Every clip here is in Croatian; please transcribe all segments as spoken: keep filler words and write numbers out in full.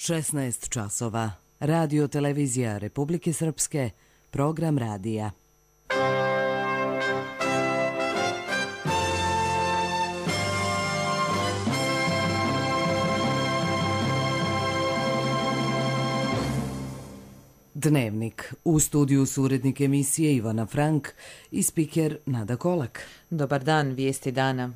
šesnaest časova. Radio televizija Republike Srpske, program radija. Dnevnik. U studiju su urednik emisije Ivana Frank i spiker Nada Kolak. Dobar dan, vijesti dana.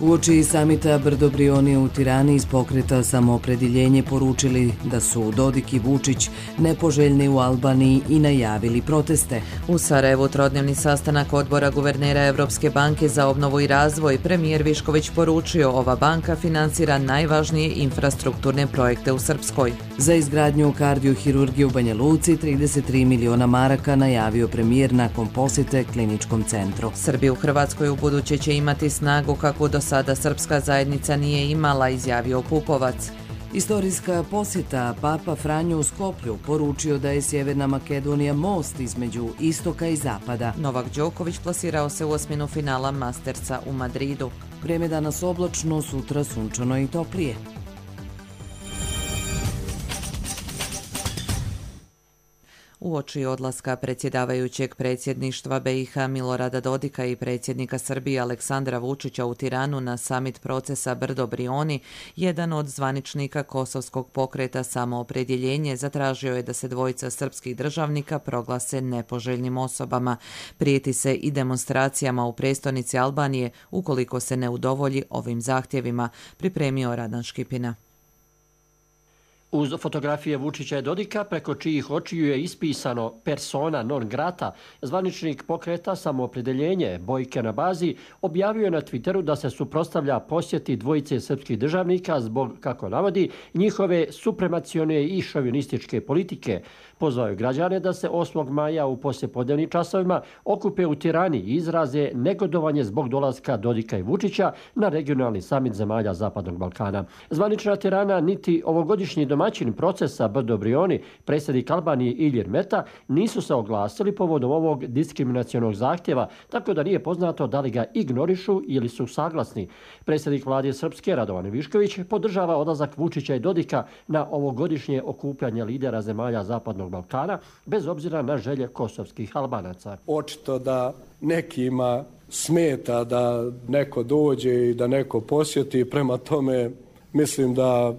Uoči samita Brdo-Brioni u Tirani iz pokreta Samoopredjeljenje poručili da su Dodik i Vučić nepoželjni u Albaniji i najavili proteste. U Sarajevu trodnevni sastanak odbora guvernera Evropske banke za obnovu i razvoj. Premijer Višković poručio ova banka finansira najvažnije infrastrukturne projekte u Srpskoj. Za izgradnju kardiohirurgije u Banja Luci trideset tri miliona maraka najavio premijer nakon posjete kliničkom centru. Srbi u Hrvatskoj u buduće će imati snagu kakvu do sada srpska zajednica nije imala, izjavio Pupovac. Istorijska posjeta. Papa Franjo u Skoplju poručio da je Sjeverna Makedonija most između istoka i zapada. Novak Đoković plasirao se u osminu finala Mastersa u Madridu. Vrijeme danas oblačno, sutra sunčano i toplije. Uoči odlaska predsjedavajućeg predsjedništva B i H Milorada Dodika i predsjednika Srbije Aleksandra Vučića u Tiranu na samit procesa Brdo-Brioni, jedan od zvaničnika kosovskog pokreta Samoopredjeljenje zatražio je da se dvojica srpskih državnika proglase nepoželjnim osobama. Prijeti se i demonstracijama u prestonici Albanije ukoliko se ne udovolji ovim zahtjevima, pripremio Radan Škipina. Uz fotografije Vučića i Dodika, preko čijih očiju je ispisano persona non grata, zvaničnik pokreta Samoopredjeljenje Bojke na bazi objavio je na Twitteru da se suprotstavlja posjeti dvojice srpskih državnika zbog, kako navodi, njihove supremacione i šovinističke politike. Pozvao je građane da se osmog maja u poslijepodnevnim časovima okupe u Tirani i izraze negodovanje zbog dolaska Dodika i Vučića na regionalni samit zemalja Zapadnog Balkana. Zvanična Tirana niti ovogodišnji domaćin procesa Brdo-Brioni, predsjednik Albanije Ilir Meta, nisu se oglasili povodom ovog diskriminacionog zahtjeva, tako da nije poznato da li ga ignorišu ili su saglasni. Predsjednik vlade Srpske Radovan Višković podržava odlazak Vučića i Dodika na ovogodišnje okupljanje lidera zemalja Zapadnog Balkana, bez obzira na želje kosovskih Albanaca. Očito da nekima smeta da neko dođe i da neko posjeti, prema tome mislim da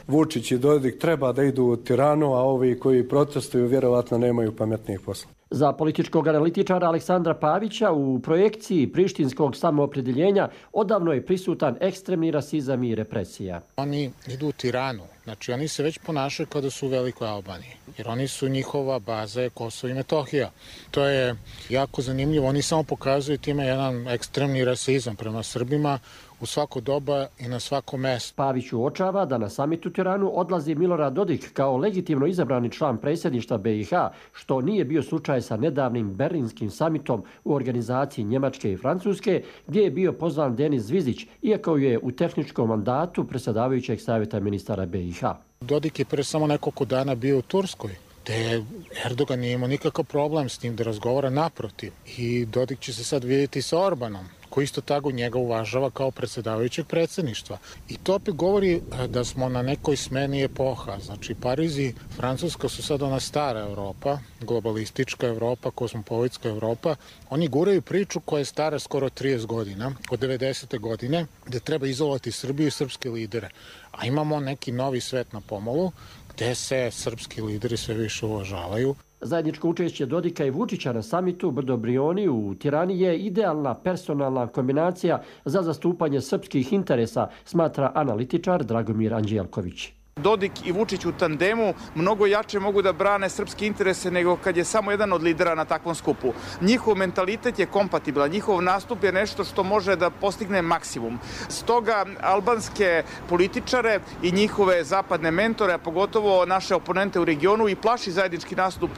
Vučić i Dodik treba da idu u Tiranu, a ovi koji protestuju vjerovatno nemaju pametnijih posla. Za političkog analitičara Aleksandra Pavića u projekciji prištinskog samoopredjeljenja odavno je prisutan ekstremni rasizam i represija. Oni idu u Tiranu, znači oni se već ponašaju kada su u Velikoj Albaniji, jer oni su, njihova baza je Kosovo i Metohija. To je jako zanimljivo, oni samo pokazuju time jedan ekstremni rasizam prema Srbima u svako doba i na svako mesto. Pavić uočava da na samit u Tiranu odlazi Milorad Dodik kao legitimno izabrani član predsjedništva B i H, što nije bio slučaj sa nedavnim berlinskim samitom u organizaciji Njemačke i Francuske, gdje je bio pozvan Denis Zvizić, iako je u tehničkom mandatu predsjedavajućeg savjeta ministara B i H. Dodik je pre samo nekoliko dana bio u Turskoj, te Erdogan nije imao nikakav problem s tim da razgovara, naprotiv. I Dodik će se sad vidjeti sa Orbanom, koji isto tako njega uvažava kao predsjedavajućeg predsjedništva. I to opet govori da smo na nekoj smeni epoha. Znači, Pariz i Francuska su sad ona stara Evropa, globalistička Evropa, kosmopolitska Evropa. Oni guraju priču koja je stara skoro trideset godina, od devedesete godine, gde treba izolovati Srbiju i srpske lidere. A imamo neki novi svet na pomolu, gde se srpski lideri sve više uvažavaju. Zajedničko učešće Dodika i Vučića na samitu Brdo-Brioni u Tirani je idealna personalna kombinacija za zastupanje srpskih interesa, smatra analitičar Dragomir Anđelković. Dodik i Vučić u tandemu mnogo jače mogu da brane srpske interese nego kad je samo jedan od lidera na takvom skupu. Njihov mentalitet je kompatibilan, njihov nastup je nešto što može da postigne maksimum. Stoga albanske političare i njihove zapadne mentore, a pogotovo naše oponente u regionu, i plaši zajednički nastup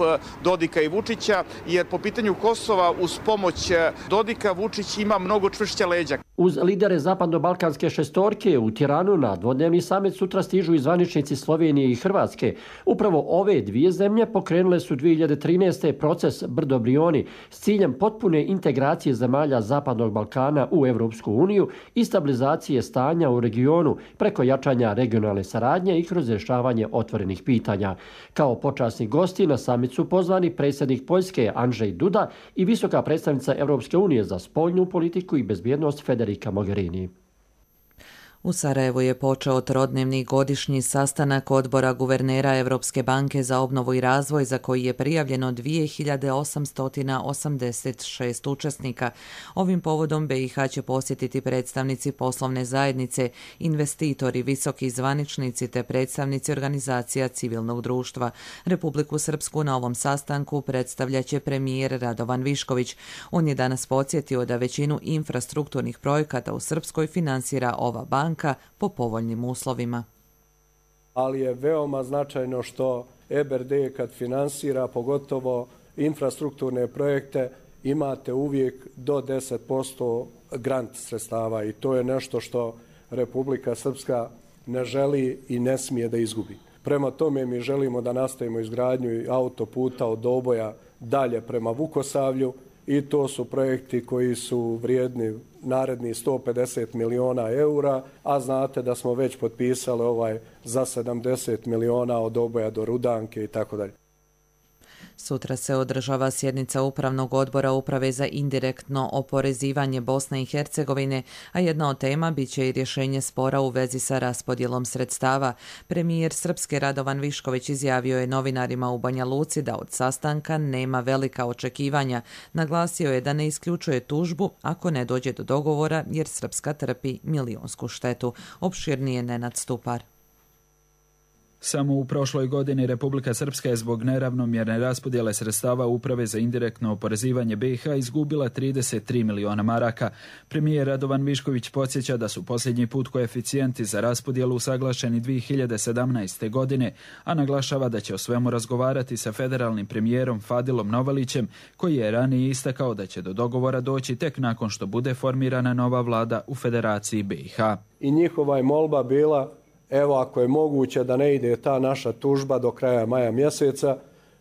Dodika i Vučića, jer po pitanju Kosova uz pomoć Dodika Vučić ima mnogo čvršća leđa. Uz lidere zapadno-balkanske šestorke u Tiranu na dvodnevni samit sutra stižu i zvaničnici Slovenije i Hrvatske. Upravo ove dvije zemlje pokrenule su dvije hiljade trinaeste. proces Brdo Brioni s ciljem potpune integracije zemalja Zapadnog Balkana u Evropsku uniju i stabilizacije stanja u regionu preko jačanja regionalne saradnje i kroz rješavanje otvorenih pitanja. Kao počasni gosti na samit su pozvani predsjednik Poljske Andrzej Duda i visoka predstavnica Evropske unije za spoljnu politiku i bezbjednost Federica Mogherini. U Sarajevu je počeo trodnevni godišnji sastanak odbora guvernera Evropske banke za obnovu i razvoj za koji je prijavljeno dvije hiljade osamsto osamdeset šest učesnika. Ovim povodom B i H će posjetiti predstavnici poslovne zajednice, investitori, visoki zvaničnici te predstavnici organizacija civilnog društva. Republiku Srpsku na ovom sastanku predstavljaće premijer Radovan Višković. On je danas podsjetio da većinu infrastrukturnih projekata u Srpskoj finansira ova banka po povoljnim uslovima. Ali je veoma značajno što E B R D kad finansira pogotovo infrastrukturne projekte imate uvijek do deset posto grant sredstava i to je nešto što Republika Srpska ne želi i ne smije da izgubi. Prema tome mi želimo da nastavimo izgradnju autoputa od Doboja dalje prema Vukosavlju i to su projekti koji su vrijedni naredni sto pedeset miliona eura, a znate da smo već potpisali ovaj za sedamdeset miliona od Doboja do Rudanke i tako dalje. Sutra se održava sjednica Upravnog odbora Uprave za indirektno oporezivanje Bosne i Hercegovine, a jedna od tema bit će i rješenje spora u vezi sa raspodjelom sredstava. Premijer Srpske Radovan Višković izjavio je novinarima u Banja Luci da od sastanka nema velika očekivanja. Naglasio je da ne isključuje tužbu ako ne dođe do dogovora jer Srpska trpi milionsku štetu. Opširnije Nenad Stupar. Samo u prošloj godini Republika Srpska je zbog neravnomjerne raspodjele sredstava Uprave za indirektno oporezivanje B i H izgubila trideset tri miliona maraka. Premijer Radovan Višković podsjeća da su posljednji put koeficijenti za raspodjelu usaglašeni dvije hiljade sedamnaeste. godine, a naglašava da će o svemu razgovarati sa federalnim premijerom Fadilom Novalićem, koji je ranije istakao da će do dogovora doći tek nakon što bude formirana nova vlada u Federaciji B i H. I njihova je molba bila, evo ako je moguće da ne ide ta naša tužba do kraja maja mjeseca,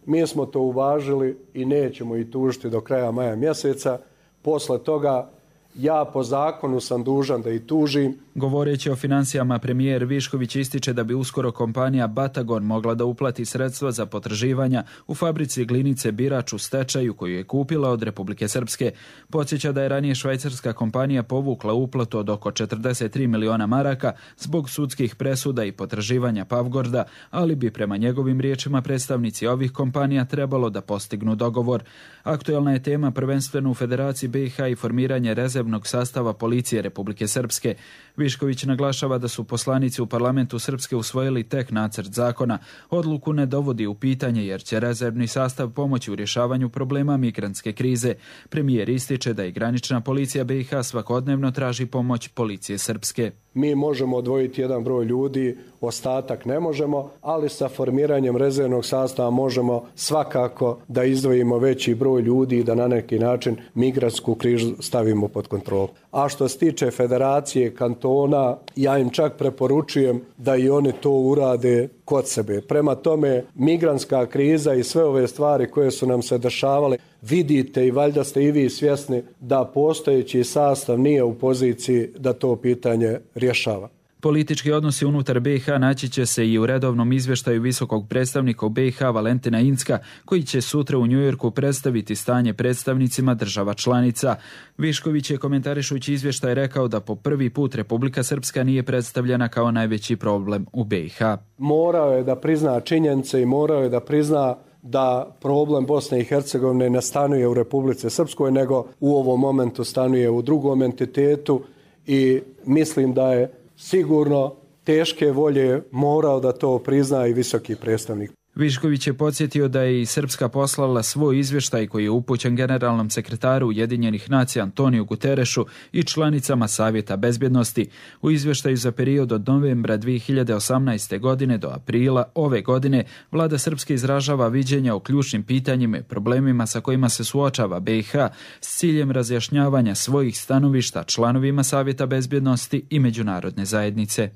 mi smo to uvažili i nećemo i tužiti do kraja maja mjeseca. Posle toga ja po zakonu sam dužan da i tužim. Govoreći o financijama, premijer Višković ističe da bi uskoro kompanija Batagon mogla da uplati sredstva za potraživanja u fabrici glinice Birač u stečaju koju je kupila od Republike Srpske. Podsjeća da je ranije švajcarska kompanija povukla uplatu od oko četrdeset tri miliona maraka zbog sudskih presuda i potraživanja Pavgorda, ali bi prema njegovim riječima predstavnici ovih kompanija trebalo da postignu dogovor. Aktuelna je tema prvenstveno u Federaciji B i H i formiranje rezervnog sastava policije Republike Srpske. Višković naglašava da su poslanici u parlamentu Srpske usvojili tek nacrt zakona. Odluku ne dovodi u pitanje jer će rezervni sastav pomoći u rješavanju problema migrantske krize. Premijer ističe da i granična policija B i H svakodnevno traži pomoć policije Srpske. Mi možemo odvojiti jedan broj ljudi, ostatak ne možemo, ali sa formiranjem rezervnog sastava možemo svakako da izdvojimo veći broj ljudi i da na neki način migrantsku krizu stavimo pod kontrolu. A što se tiče federacije, kantona, ja im čak preporučujem da i oni to urade kod sebe. Prema tome, migrantska kriza i sve ove stvari koje su nam se dešavale, vidite i valjda ste i vi svjesni da postojeći sastav nije u poziciji da to pitanje rješava. Politički odnosi unutar B i H naći će se i u redovnom izvještaju visokog predstavnika u B i H Valentina Incka, koji će sutra u Njujorku predstaviti stanje predstavnicima država članica. Višković je komentarišući izvještaj rekao da po prvi put Republika Srpska nije predstavljena kao najveći problem u B i H. Morao je da prizna činjenice i morao je da prizna da problem Bosne i Hercegovine ne stanuje u Republici Srpskoj, nego u ovom momentu stanuje u drugom entitetu i mislim da je sigurno teške volje morao da to prizna i visoki predstavnik. Višković je podsjetio da je i Srpska poslala svoj izvještaj koji je upućen generalnom sekretaru Ujedinjenih nacija Antoniju Guterešu i članicama Savjeta bezbjednosti. U izvještaju za period od novembra dvije hiljade osamnaeste. godine do aprila ove godine vlada Srpske izražava viđenja o ključnim pitanjima i problemima sa kojima se suočava B i H s ciljem razjašnjavanja svojih stanovišta članovima Savjeta bezbjednosti i međunarodne zajednice.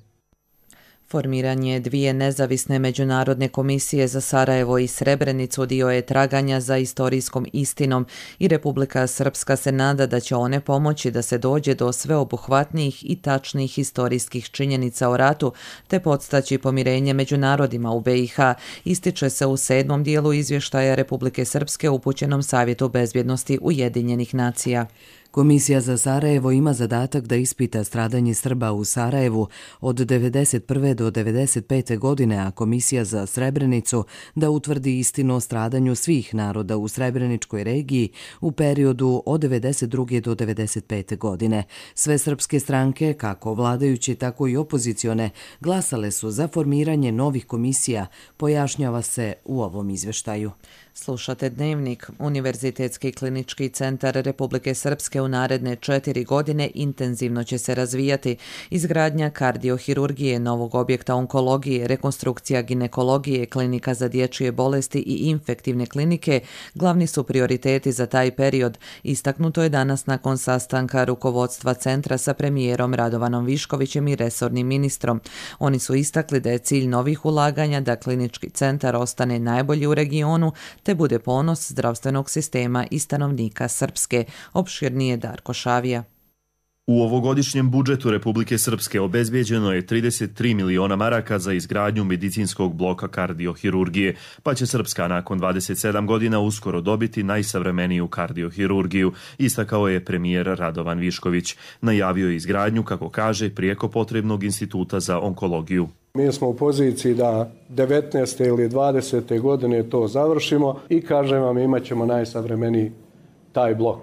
Formiranje dvije nezavisne međunarodne komisije za Sarajevo i Srebrenicu dio je traganja za istorijskom istinom i Republika Srpska se nada da će one pomoći da se dođe do sveobuhvatnijih i tačnih historijskih činjenica o ratu te podstaći pomirenje među narodima u B i H, ističe se u sedmom dijelu izvještaja Republike Srpske upućenom Savjetu bezbjednosti Ujedinjenih nacija. Komisija za Sarajevo ima zadatak da ispita stradanje Srba u Sarajevu od devedeset prve do devedeset pete. godine, a Komisija za Srebrenicu da utvrdi istinu o stradanju svih naroda u Srebreničkoj regiji u periodu od devedeset druge. do devedeset pete. godine. Sve srpske stranke, kako vladajuće, tako i opozicione, glasale su za formiranje novih komisija, pojašnjava se u ovom izvještaju. Slušate Dnevnik. Univerzitetski klinički centar Republike Srpske u naredne četiri godine intenzivno će se razvijati. Izgradnja kardiohirurgije, novog objekta onkologije, rekonstrukcija ginekologije, klinika za dječje bolesti i infektivne klinike glavni su prioriteti za taj period. Istaknuto je danas nakon sastanka rukovodstva centra sa premijerom Radovanom Viškovićem i resornim ministrom. Oni su istakli da je cilj novih ulaganja da klinički centar ostane najbolji u regionu te bude ponos zdravstvenog sistema i stanovnika Srpske. Opširnije Darko Šavija. U ovogodišnjem budžetu Republike Srpske obezbijeđeno je trideset tri miliona maraka za izgradnju medicinskog bloka kardiohirurgije, pa će Srpska nakon dvadeset sedam godina uskoro dobiti najsavremeniju kardiohirurgiju, istakao je premijer Radovan Višković. Najavio je izgradnju, kako kaže, prijeko potrebnog instituta za onkologiju. Mi smo u poziciji da devetnaeste ili dvadesete. godine to završimo i kažem vam, imat ćemo najsavremeniji taj blok.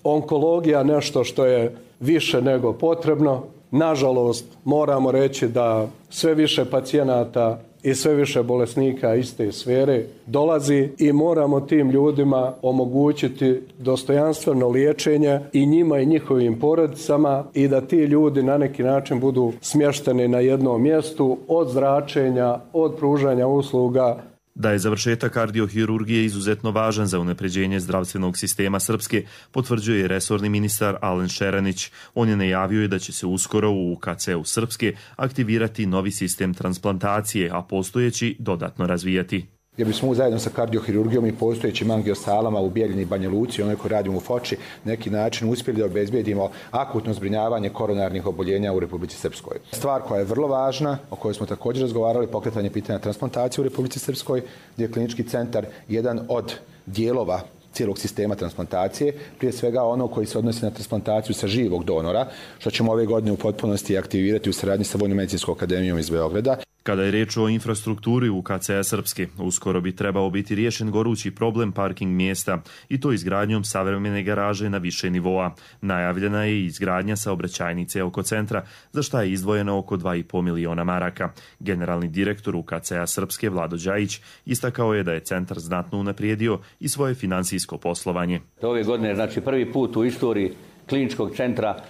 Onkologija nešto što je više nego potrebno. Nažalost, moramo reći da sve više pacijenata i sve više bolesnika iz te sfere dolazi i moramo tim ljudima omogućiti dostojanstveno liječenje i njima i njihovim porodicama i da ti ljudi na neki način budu smješteni na jednom mjestu od zračenja, od pružanja usluga. Da je završetak kardiohirurgije izuzetno važan za unapređenje zdravstvenog sistema Srpske, potvrđuje resorni ministar Alen Šeranić. On je najavio da će se uskoro u U K C-u Srpske aktivirati novi sistem transplantacije, a postojeći dodatno razvijati. Jer bismo zajedno sa kardiohirurgijom i postojećim angiosalama u Bijeljini i Banja Luci, onoj koji radimo u Foči, neki način uspjeli da obezbijedimo akutno zbrinjavanje koronarnih oboljenja u Republici Srpskoj. Stvar koja je vrlo važna, o kojoj smo također razgovarali, pokretanje pitanja transplantacije u Republici Srpskoj, gdje je klinički centar jedan od dijelova cijelog sistema transplantacije, prije svega ono koji se odnosi na transplantaciju sa živog donora, što ćemo ove godine u potpunosti aktivirati u saradnji sa Vojno-medicinskom akademijom iz Beograda. Kada je reč o infrastrukturi U K C-a Srpske, uskoro bi trebao biti riješen gorući problem parking mjesta i to izgradnjom savremene garaže na više nivoa. Najavljena je i izgradnja saobraćajnice oko centra, za šta je izdvojeno oko dva i po miliona maraka. Generalni direktor U K C-a Srpske Vlado Đajić istakao je da je centar znatno unaprijedio i svoje financijsko poslovanje. Ove godine, znači prvi put u istoriji kliničkog centra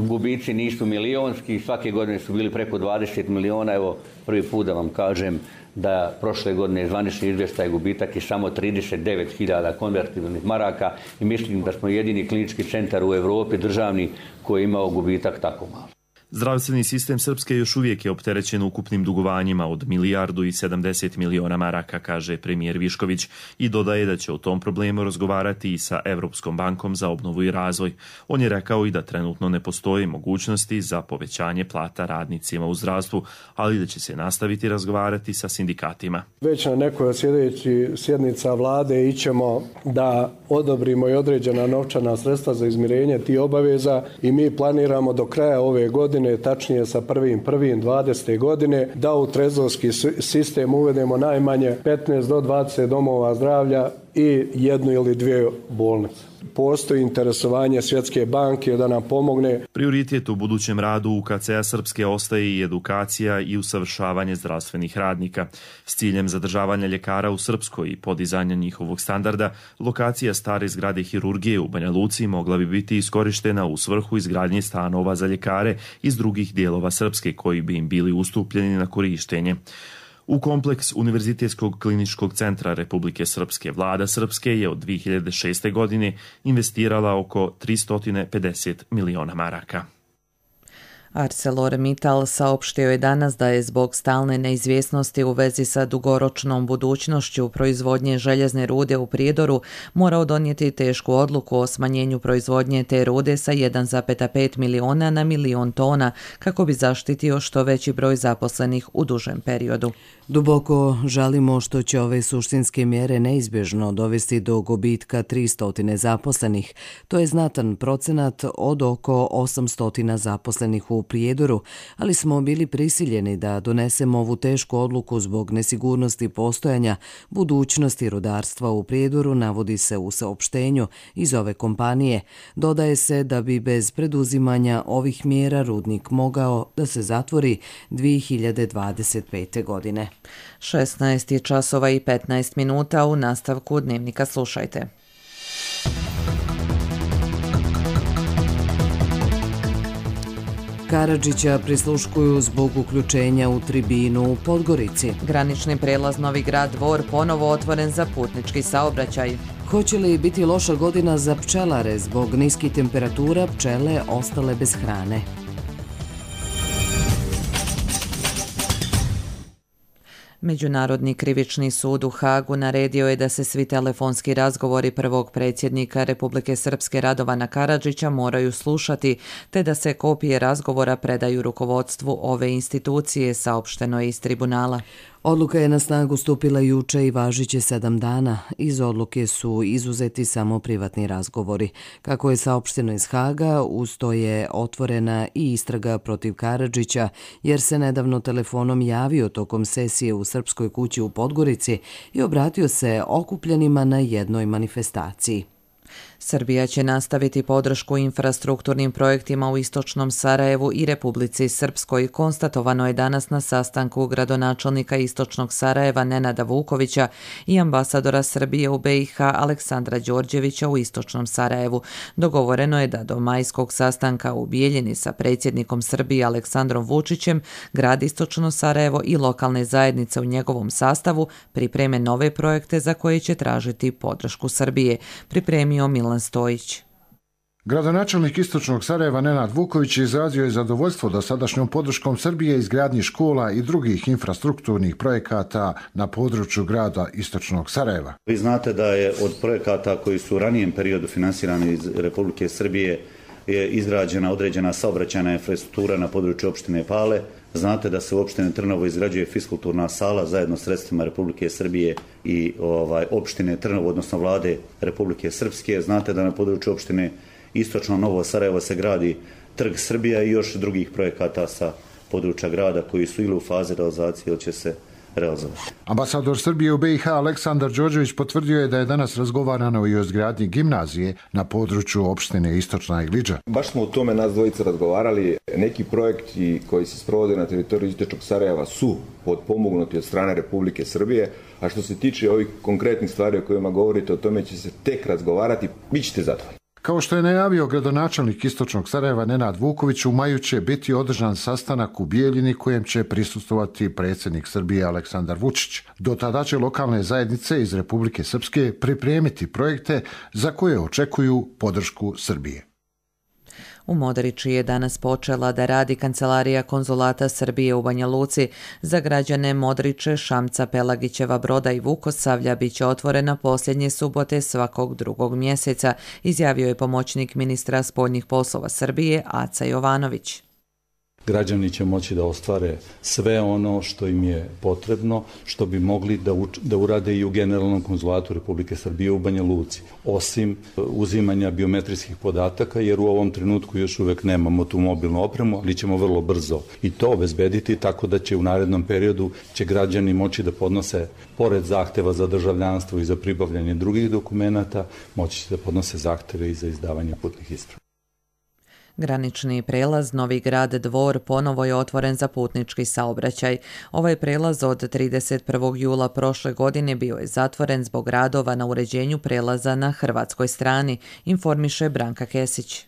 gubici nisu milionski, svake godine su bili preko dvadeset miliona, evo prvi put da vam kažem da prošle godine zvanični izvještaj gubitak je samo trideset devet hiljada konvertibilnih maraka i mislim da smo jedini klinički centar u Europi državni koji je imao gubitak tako malo. Zdravstveni sistem Srpske još uvijek je opterećen ukupnim dugovanjima od milijardu i sedamdeset miliona maraka, kaže premijer Višković, i dodaje da će o tom problemu razgovarati i sa Evropskom bankom za obnovu i razvoj. On je rekao i da trenutno ne postoji mogućnosti za povećanje plata radnicima u zdravstvu, ali da će se nastaviti razgovarati sa sindikatima. Već na nekoj od sljedećih sjednica vlade ićemo da odobrimo i određena novčana sredstva za izmirenje tih obaveza i mi planiramo do kraja ove godine, tačnije sa prvim prvim dvadesete godine, da u trezorski sistem uvedemo najmanje petnaest do dvadeset domova zdravlja i jednu ili dvije bolnice. Postoji interesovanje Svjetske banke da nam pomogne. Prioritet u budućem radu U K C-a Srpske ostaje i edukacija i usavršavanje zdravstvenih radnika. S ciljem zadržavanja ljekara u Srpskoj i podizanja njihovog standarda, lokacija stare zgrade hirurgije u Banja Luci mogla bi biti iskorištena u svrhu izgradnje stanova za ljekare iz drugih dijelova Srpske koji bi im bili ustupljeni na korištenje. U kompleks Univerzitetskog kliničkog centra Republike Srpske vlada Srpske je od dvije hiljade šeste. godine investirala oko tristo pedeset miliona maraka. ArcelorMittal saopštio je danas da je zbog stalne neizvjesnosti u vezi sa dugoročnom budućnošću proizvodnje željezne rude u Prijedoru morao donijeti tešku odluku o smanjenju proizvodnje te rude sa jedan zarez pet miliona na milion tona kako bi zaštitio što veći broj zaposlenih u dužem periodu. Duboko žalimo što će ove suštinske mjere neizbježno dovesti do gubitka tristo zaposlenih. To je znatan procenat od oko osamsto zaposlenih u Prijedoru, ali smo bili prisiljeni da donesemo ovu tešku odluku zbog nesigurnosti postojanja budućnosti rudarstva u Prijedoru, navodi se u saopštenju iz ove kompanije. Dodaje se da bi bez preduzimanja ovih mjera rudnik mogao da se zatvori dvije hiljade dvadeset pete. godine. šesnaest je časova i petnaest minuta, u nastavku Dnevnika slušajte. Karadžića prisluškuju zbog uključenja u tribinu u Podgorici. Granični prelaz Novi Grad Dvor ponovo otvoren za putnički saobraćaj. Hoće li biti loša godina za pčelare zbog niskih temperatura, pčele ostale bez hrane? Međunarodni krivični sud u Hagu naredio je da se svi telefonski razgovori prvog predsjednika Republike Srpske Radovana Karadžića moraju slušati, te da se kopije razgovora predaju rukovodstvu ove institucije, saopšteno je iz tribunala. Odluka je na snagu stupila juče i važiće sedam dana. Iz odluke su izuzeti samo privatni razgovori. Kako je saopšteno iz Haga, uz to je otvorena i istraga protiv Karadžića, jer se nedavno telefonom javio tokom sesije u Srpskoj kući u Podgorici i obratio se okupljenima na jednoj manifestaciji. Srbija će nastaviti podršku infrastrukturnim projektima u istočnom Sarajevu i Republici Srpskoj, konstatovano je danas na sastanku gradonačelnika istočnog Sarajeva Nenada Vukovića i ambasadora Srbije u B i H Aleksandra Đorđevića u istočnom Sarajevu. Dogovoreno je da do majskog sastanka u Bijeljini sa predsjednikom Srbije Aleksandrom Vučićem, grad istočno Sarajevo i lokalne zajednice u njegovom sastavu pripreme nove projekte za koje će tražiti podršku Srbije, pripremio Milan Stojić. Gradonačelnik istočnog Sarajeva Nenad Vuković izrazio je zadovoljstvo dosadašnjom podrškom Srbije izgradnji škola i drugih infrastrukturnih projekata na području grada istočnog Sarajeva. Vi znate da je od projekata koji su u ranijem periodu finansirani iz Republike Srbije je izgrađena određena saobraćajna infrastruktura na području opštine Pale. Znate da se u opštine Trnovo izgrađuje fiskulturna sala zajedno s sredstvima Republike Srbije i ovaj, opštine Trnovo, odnosno vlade Republike Srpske. Znate da na području opštine Istočno Novo Sarajevo se gradi Trg Srbija i još drugih projekata sa područja grada koji su ili u fazi realizacije ili će se realizovati. Ambasador Srbije u B i H Aleksandar Đorđević potvrdio je da je danas razgovarano i o izgradnji gimnazije na području opštine Istočna Igliđa. Baš smo o tome nas dvojica razgovarali. Neki projekti koji se sprovode na teritoriju Istočnog Sarajeva su potpomognuti od strane Republike Srbije, a što se tiče ovih konkretnih stvari o kojima govorite, o tome će se tek razgovarati, bit ćete zadovoljni. Kao što je najavio gradonačelnik istočnog Sarajeva Nenad Vuković, u maju će biti održan sastanak u Bijeljini kojem će prisustvovati predsjednik Srbije Aleksandar Vučić. Do tada će lokalne zajednice iz Republike Srpske pripremiti projekte za koje očekuju podršku Srbije. U Modriči je danas počela da radi Kancelarija konzulata Srbije u Banja Luci. Za građane Modriče, Šamca, Pelagićeva Broda i Vukosavlja bit će otvorena posljednje subote svakog drugog mjeseca, izjavio je pomoćnik ministra spoljnih poslova Srbije Aca Jovanović. Građani će moći da ostvare sve ono što im je potrebno, što bi mogli da, uč, da urade i u Generalnom konzulatu Republike Srbije u Banja Luci, osim uzimanja biometrijskih podataka, jer u ovom trenutku još uvek nemamo tu mobilnu opremu, ali ćemo vrlo brzo i to obezbediti, tako da će u narednom periodu će građani moći da podnose, pored zahteva za državljanstvo i za pribavljanje drugih dokumenata, moći će da podnose zahteve i za izdavanje putnih isprava. Granični prelaz Novi Grad Dvor ponovo je otvoren za putnički saobraćaj. Ovaj prelaz od trideset prvog jula prošle godine bio je zatvoren zbog radova na uređenju prelaza na hrvatskoj strani, informiše Branka Kesić.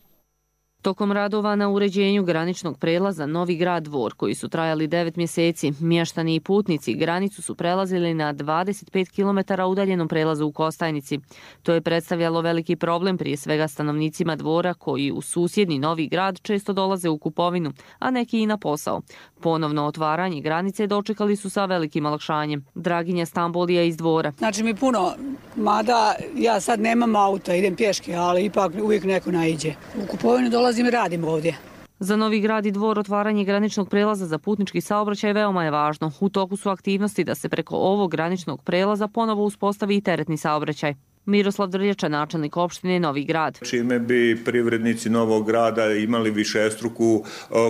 Tokom radova na uređenju graničnog prelaza Novi Grad Dvor, koji su trajali devet mjeseci, mještani i putnici granicu su prelazili na dvadeset pet kilometara udaljenom prelazu u Kostajnici. To je predstavljalo veliki problem prije svega stanovnicima Dvora koji u susjedni Novi Grad često dolaze u kupovinu, a neki i na posao. Ponovno otvaranje granice dočekali su sa velikim olakšanjem. Draginja Stambolija iz Dvora. Znači mi puno, mada ja sad nemam auta, idem pješke, ali ipak uvijek neko naiđe. U kupovinu dolazim i radim ovdje. Za Novi Grad i Dvor otvaranje graničnog prelaza za putnički saobraćaj veoma je važno. U toku su aktivnosti da se preko ovog graničnog prelaza ponovo uspostavi i teretni saobraćaj. Miroslav Drljača, načelnik opštine Novi Grad. Čime bi privrednici Novog Grada imali višestruku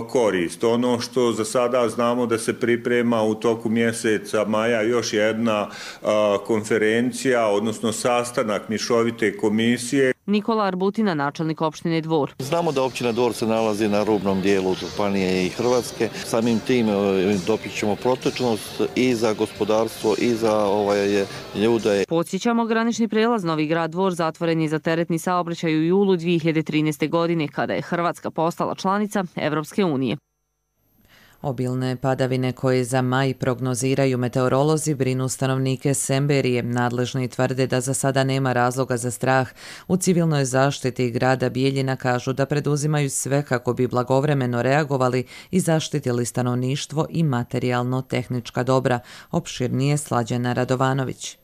korist. Ono što za sada znamo da se priprema u toku mjeseca maja još jedna konferencija, odnosno sastanak mješovite komisije. Nikola Arbutina, načelnik opštine Dvor. Znamo da općina Dvor se nalazi na rubnom dijelu Županije i Hrvatske. Samim tim dopićemo protočnost i za gospodarstvo i za ovaj, ljude. Podsjećamo, granični prelaz Novi Grad Dvor zatvoren je za teretni saobraćaj u julu dvije hiljade trinaeste. godine, kada je Hrvatska postala članica Evropske unije. Obilne padavine koje za maj prognoziraju meteorolozi brinu stanovnike Semberije. Nadležni tvrde da za sada nema razloga za strah. U civilnoj zaštiti grada Bijeljina kažu da preduzimaju sve kako bi blagovremeno reagovali i zaštitili stanovništvo i materijalno-tehnička dobra. Opširnije Slađana Radovanović.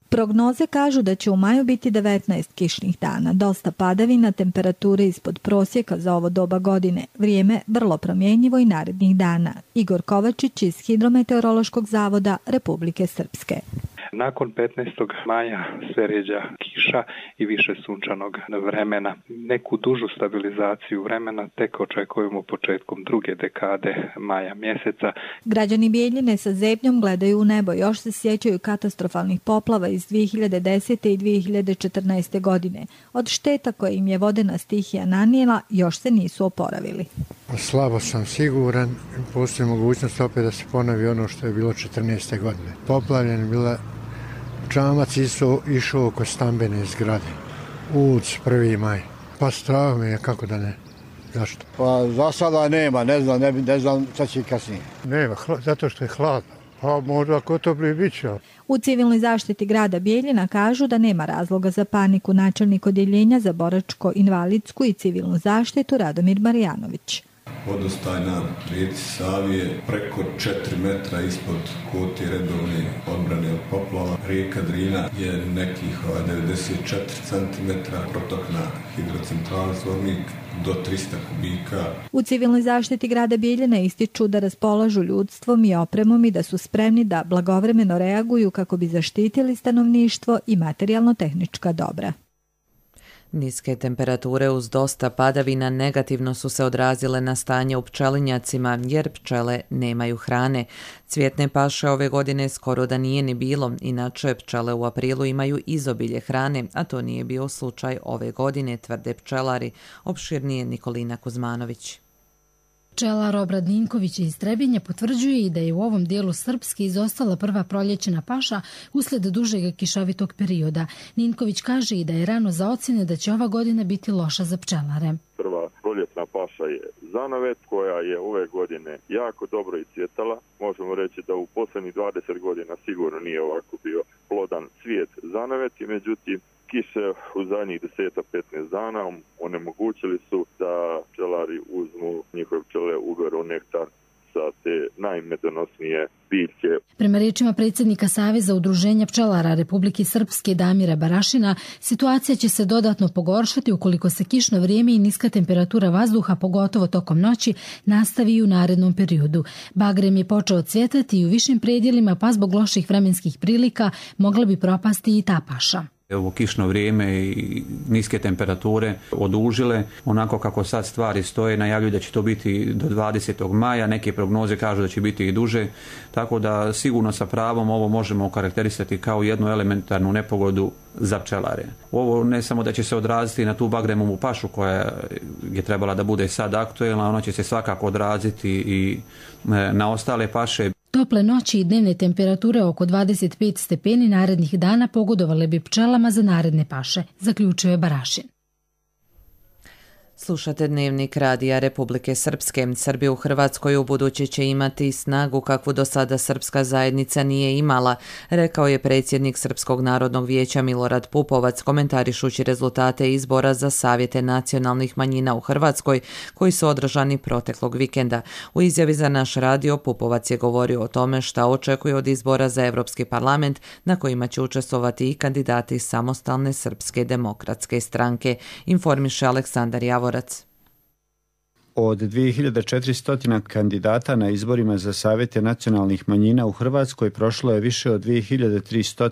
Prognoze kažu da će u maju biti devetnaest kišnih dana, dosta padavina, temperature ispod prosjeka za ovo doba godine, vrijeme vrlo promjenjivo i narednih dana. Igor Kovačić iz Hidrometeorološkog zavoda Republike Srpske. Nakon petnaestog maja sve ređa kiša i više sunčanog vremena. Neku dužu stabilizaciju vremena tek očekujemo početkom druge dekade maja mjeseca. Građani Bijeljine sa zebnjom gledaju u nebo, još se sjećaju katastrofalnih poplava iz dvije hiljade desete. i dvije hiljade četrnaeste. godine. Od šteta koje im je vodena stihija nanijela još se nisu oporavili. Slabo sam siguran, postoji mogućnost opet da se ponovi ono što je bilo četrnaeste. godine. Poplavljen bila čamac isto išao oko stambene zgrade. Uc, prvi maj. Pa strah mi je, kako da ne. Zašto? Pa za sada nema, ne znam, ne, ne znam šta će kasnije. Nema, hla, zato što je hladno. Pa možda ako to bi biće. U civilnoj zaštiti grada Bijeljina kažu da nema razloga za paniku. Načelnik odjeljenja za boračko-invalidsku i civilnu zaštitu Radomir Marijanović. Vodostaj na rijeci Savi je preko četiri metra ispod kote redovne odbrane od poplava. Rijeka Drina je nekih devedeset četiri centimetra, protok na hidrocentrali Zvornik do trista kubika. U civilnoj zaštiti grada Bijeljina ističu da raspolažu ljudstvom i opremom i da su spremni da blagovremeno reaguju kako bi zaštitili stanovništvo i materijalno-tehnička dobra. Niske temperature uz dosta padavina negativno su se odrazile na stanje u pčelinjacima jer pčele nemaju hrane. Cvjetne paše ove godine skoro da nije ni bilo, inače pčele u aprilu imaju izobilje hrane, a to nije bio slučaj ove godine, tvrde pčelari. Opširnije Nikolina Kuzmanović. Pčelar Obrad Ninković iz Trebinja potvrđuje i da je u ovom dijelu Srpske izostala prva proljećena paša usled dužeg kišovitog perioda. Ninković kaže i da je rano za ocjene da će ova godina biti loša za pčelare. Prva proljetna paša je zanavet koja je ove godine jako dobro iscvjetala. Možemo reći da u posljednjih dvadeset godina sigurno nije ovako bio plodan cvijet zanaveti, međutim kiše u zadnjih deset do petnaest dana onemogućili su da pčelari uzmu, njihove pčele uberu nektar sa te najmedonosnije biljke. Prema riječima predsjednika Saveza udruženja pčelara Republike Srpske Damira Barašina, situacija će se dodatno pogoršati ukoliko se kišno vrijeme i niska temperatura vazduha, pogotovo tokom noći, nastavi i u narednom periodu. Bagrem je počeo cvjetati i u višim predjelima, pa zbog loših vremenskih prilika mogla bi propasti i ta paša. Ovo kišno vrijeme i niske temperature odužile, onako kako sad stvari stoje, najavljuju da će to biti do dvadesetog maja, neke prognoze kažu da će biti i duže, tako da sigurno sa pravom ovo možemo okarakterisati kao jednu elementarnu nepogodu za pčelare. Ovo ne samo da će se odraziti na tu bagremovu pašu koja je trebala da bude sad aktuelna, ona će se svakako odraziti i na ostale paše. Tople noći i dnevne temperature oko dvadeset pet stepeni narednih dana pogodovale bi pčelama za naredne paše, zaključio je Barašin. Slušate Dnevnik Radija Republike Srpske. Srbi u Hrvatskoj u buduće će imati snagu kakvu do sada srpska zajednica nije imala, rekao je predsjednik Srpskog narodnog vijeća Milorad Pupovac, komentarišući rezultate izbora za savjete nacionalnih manjina u Hrvatskoj koji su održani proteklog vikenda. U izjavi za naš radio Pupovac je govorio o tome šta očekuje od izbora za Europski parlament na kojima će učestvovati i kandidati Samostalne srpske demokratske stranke, informiše Aleksandar Javor. Od dvije hiljade četiristo kandidata na izborima za savjete nacionalnih manjina u Hrvatskoj prošlo je više od dvije hiljade tristo.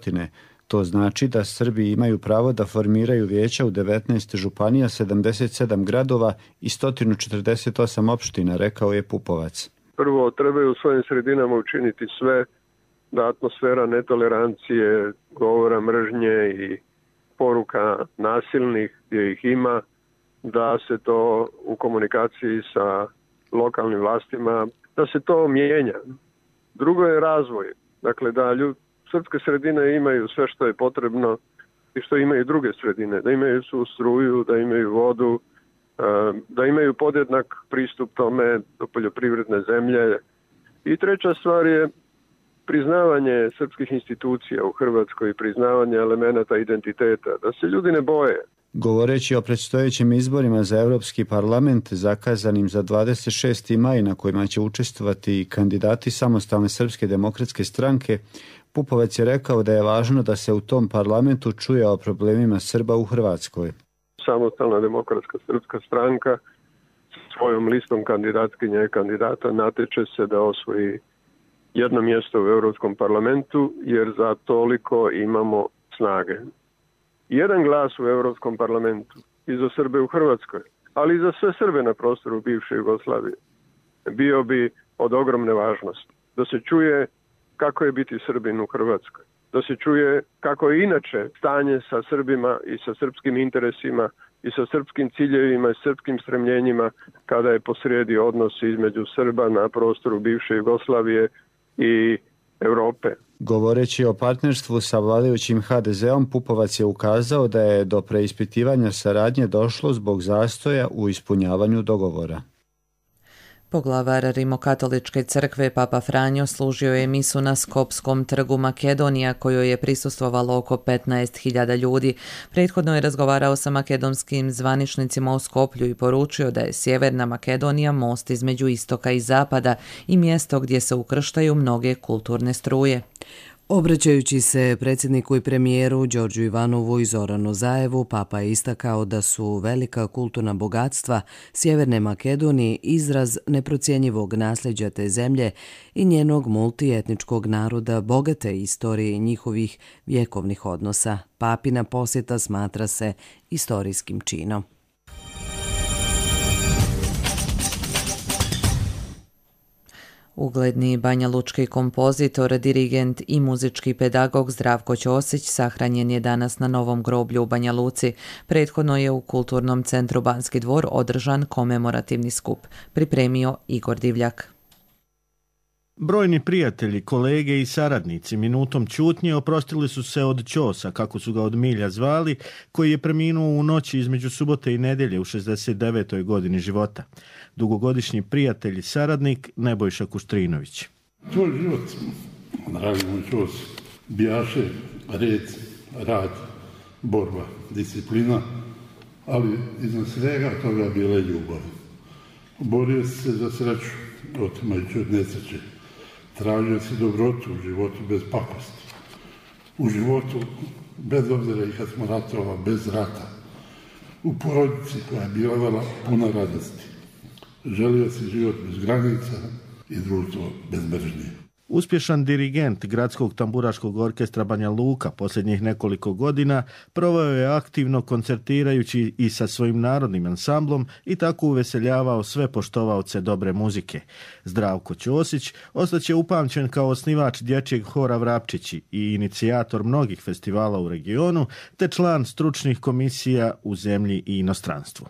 To znači da Srbi imaju pravo da formiraju vijeća u devetnaest županija, sedamdeset sedam gradova i sto četrdeset osam opština, rekao je Pupovac. Prvo, trebaju u svojim sredinama učiniti sve da atmosfera netolerancije, govora mržnje i poruka nasilnih gdje ih ima, da se to u komunikaciji sa lokalnim vlastima, da se to mijenja. Drugo je razvoj. Dakle, da ljud, srpske sredine imaju sve što je potrebno i što imaju druge sredine. Da imaju su struju, da imaju vodu, da imaju podjednak pristup tome do poljoprivredne zemlje. I treća stvar je priznavanje srpskih institucija u Hrvatskoj, priznavanje elemenata identiteta, da se ljudi ne boje. Govoreći o predstojećim izborima za Europski parlament zakazanim za dvadeset šesti maj na kojima će učestvovati kandidati Samostalne srpske demokratske stranke, Pupovac je rekao da je važno da se u tom parlamentu čuje o problemima Srba u Hrvatskoj. Samostalna demokratska srpska stranka svojom listom kandidatkinja i kandidata nateče se da osvoji jedno mjesto u Europskom parlamentu jer za toliko imamo snage. Jedan glas u Europskom parlamentu i za Srbe u Hrvatskoj, ali i za sve Srbe na prostoru bivše Jugoslavije, bio bi od ogromne važnosti. Da se čuje kako je biti Srbin u Hrvatskoj, da se čuje kako je inače stanje sa Srbima i sa srpskim interesima i sa srpskim ciljevima i srpskim stremljenjima kada je posrijedi odnos između Srba na prostoru bivše Jugoslavije i Europe. Govoreći o partnerstvu sa vladajućim ha de zeom, Pupovac je ukazao da je do preispitivanja saradnje došlo zbog zastoja u ispunjavanju dogovora. Poglavar Rimokatoličke crkve Papa Franjo služio je misu na Skopskom trgu Makedonija kojoj je prisustvovalo oko petnaest hiljada ljudi. Prethodno je razgovarao sa makedonskim zvaničnicima u Skoplju i poručio da je Sjeverna Makedonija most između istoka i zapada i mjesto gdje se ukrštaju mnoge kulturne struje. Obraćajući se predsjedniku i premijeru Đorđu Ivanovu i Zoranu Zaevu, Papa je istakao da su velika kulturna bogatstva Sjeverne Makedonije izraz neprocjenjivog nasljeđa te zemlje i njenog multietničkog naroda, bogate istorije i njihovih vjekovnih odnosa. Papina posjeta smatra se istorijskim činom. Ugledni banjalučki kompozitor, dirigent i muzički pedagog Zdravko Ćosić sahranjen je danas na Novom groblju u Banja Luci. Prethodno je u Kulturnom centru Banski dvor održan komemorativni skup. Pripremio Igor Divljak. Brojni prijatelji, kolege i saradnici minutom ćutnje oprostili su se od Ćosa, kako su ga od milja zvali, koji je preminuo u noći između subote i nedjelje u šezdeset devetoj godini života. Dugogodišnji prijatelj i saradnik Nebojša Kuštrinović. Tvoj život, dragi moj Ćos, bijaše, red, rad, borba, disciplina, ali iznad svega toga bila je ljubav. Borio se za sreću, otimajući od nesreće. Tražio si dobrotu u životu bez pakosti. U životu, bez obzira i kad smo ratovali, bez rata. U porodici koja je bila puna radosti. Želio si život bez granica i društvo bez mržnje. Uspješan dirigent Gradskog tamburaškog orkestra Banja Luka posljednjih nekoliko godina proveo je aktivno koncertirajući i sa svojim narodnim ansamblom i tako uveseljavao sve poštovaoce dobre muzike. Zdravko Ćosić ostaće upamćen kao osnivač dječjeg hora Vrapčići i inicijator mnogih festivala u regionu, te član stručnih komisija u zemlji i inostranstvu.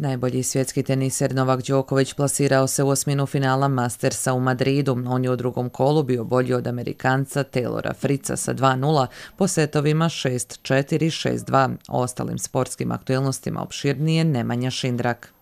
Najbolji svjetski teniser Novak Đoković plasirao se u osminu finala Mastersa u Madridu. On je u drugom kolu bio bolji od Amerikanca Taylora Fritza sa dva nula po setovima šest četiri, šest dva. O ostalim sportskim aktuelnostima opširnije Nemanja Šindrak.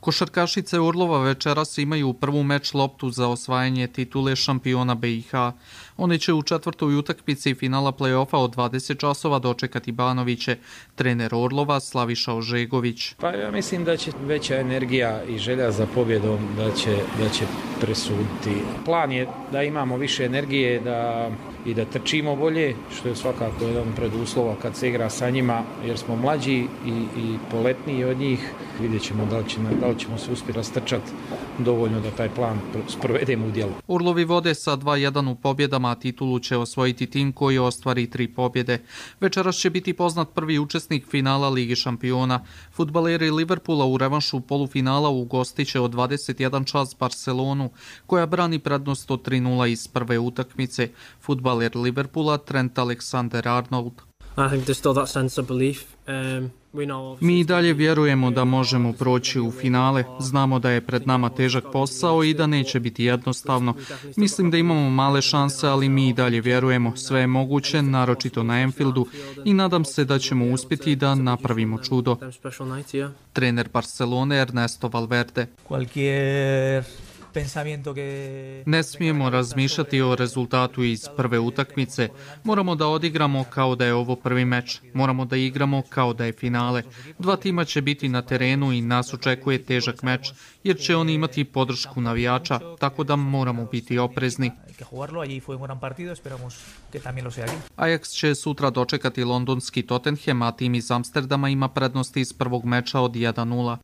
Košarkašice Orlova večeras imaju prvu meč loptu za osvajanje titule šampiona B i H. Oni će u četvrtoj utakmici finala play-offa od dvadeset časova dočekati Banoviće, trener Orlova Slaviša Ožegović. Pa ja mislim da će veća energija i želja za pobjedom da će, da će presuditi. Plan je da imamo više energije da, i da trčimo bolje, što je svakako jedan preduslova kad se igra sa njima, jer smo mlađi i, i poletniji od njih. Vidjet ćemo da li, će, da li ćemo se uspjeti rastrčati dovoljno da taj plan sprovedemo u djelu. Orlovi vode sa dva jedan u pobjedama, a titulu će osvojiti tim koji ostvari tri pobjede. Večeras će biti poznat prvi učesnik finala Lige šampiona. Fudbaleri Liverpoola u revanšu polufinala ugostiće od dvadeset jedan čas Barcelonu, koja brani prednost od tri nula iz prve utakmice. Fudbaler Liverpoola Trent Alexander-Arnold. I think there's still that sense of belief. Um... Mi i dalje vjerujemo da možemo proći u finale. Znamo da je pred nama težak posao i da neće biti jednostavno. Mislim da imamo male šanse, ali mi i dalje vjerujemo. Sve je moguće, naročito na Anfieldu, i nadam se da ćemo uspjeti da napravimo čudo. Trener Barcelone Ernesto Valverde. Ne smijemo razmišljati o rezultatu iz prve utakmice. Moramo da odigramo kao da je ovo prvi meč. Moramo da igramo kao da je finale. Dva tima će biti na terenu i nas očekuje težak meč, jer će oni imati podršku navijača, tako da moramo biti oprezni. Ajax će sutra dočekati londonski Tottenham, a tim iz Amsterdama ima prednost iz prvog meča od jedan nula.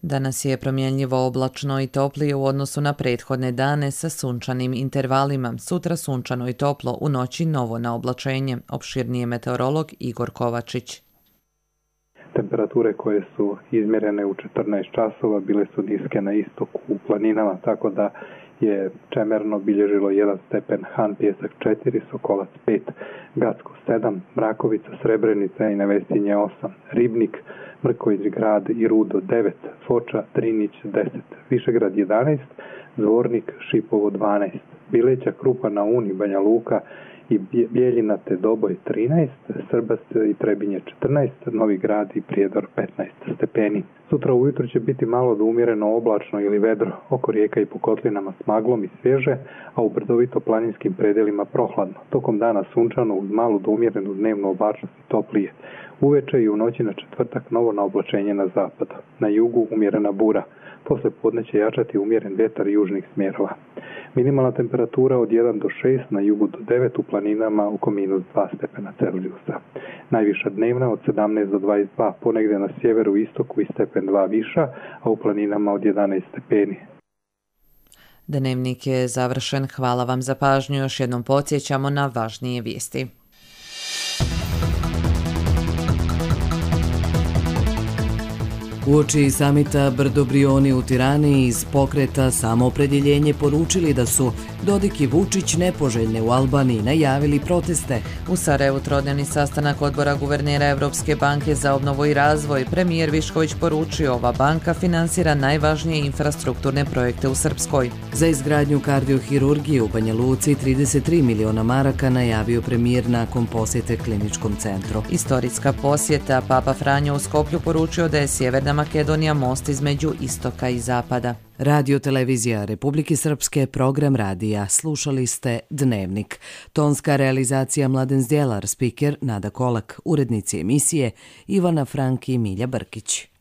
Danas je promjenljivo oblačno i toplije u odnosu na prethodne dane sa sunčanim intervalima. Sutra sunčano i toplo, u noći novo na oblačenje. Opširnije meteorolog Igor Kovačić. Temperature koje su izmjerene u četrnaest časova bile su niske na istoku u planinama, tako da je Čemerno bilježilo jedan stepen, Han Pjesak četiri, Sokolac pet, Gacko sedam, Mrakovica, Srebrenica i Nevesinje osam, Ribnik, Mrković grad i Rudo devet, Foča, Drinić deset, Višegrad jedanaest, Zvornik, Šipovo dvanaest, Bileća, Krupa na Uni, Banja Luka i Bijeljina te Doboj trinaest, Srbas i Trebinje četrnaest, Novi Grad i Prijedor petnaest stepeni. Sutra ujutro će biti malo do umjereno oblačno ili vedro, oko rijeka i po kotlinama s maglom i svježe, a u brdovito planinskim predelima prohladno. Tokom dana sunčano uz malu do umjerenu dnevnu oblačnost i toplije. Uveče i u noći na četvrtak novo na oblačenje na zapadu. Na jugu umjerena bura. Posle podne će jačati umjeren vjetar južnih smjerova. Minimalna temperatura od jedan do šest, na jugu do devet, u planinama oko minus dva stepena Celzijusa. Najviša dnevna od sedamnaest do dvadeset dva, ponegdje na sjeveru i istoku i stepen dva viša, a u planinama od jedanaest stepeni. Dnevnik je završen. Hvala vam za pažnju. Još jednom podsjećamo na važnije vijesti. Uoči samita Brdo-Brioni u Tirani iz pokreta Samoopredjeljenje poručili da su Dodik i Vučić nepoželjne u Albaniji, najavili proteste. U Sarajevu trodnevni sastanak odbora guvernera Evropske banke za obnovu i razvoj. Premijer Višković poručio, ova banka finansira najvažnije infrastrukturne projekte u Srpskoj. Za izgradnju kardiohirurgije u Banja Luci trideset tri miliona maraka najavio premijer nakon posjete kliničkom centru. Istorijska posjeta. Papa Franjo u Skoplju poručio da je Sjeverna Makedonija most između istoka i zapada. Radio televizija Republike Srpske, program radija. Slušali ste Dnevnik. Tonska realizacija Mladen Zdjelar, spiker Nada Kolak, urednici emisije Ivana Frank i Milja Brkić.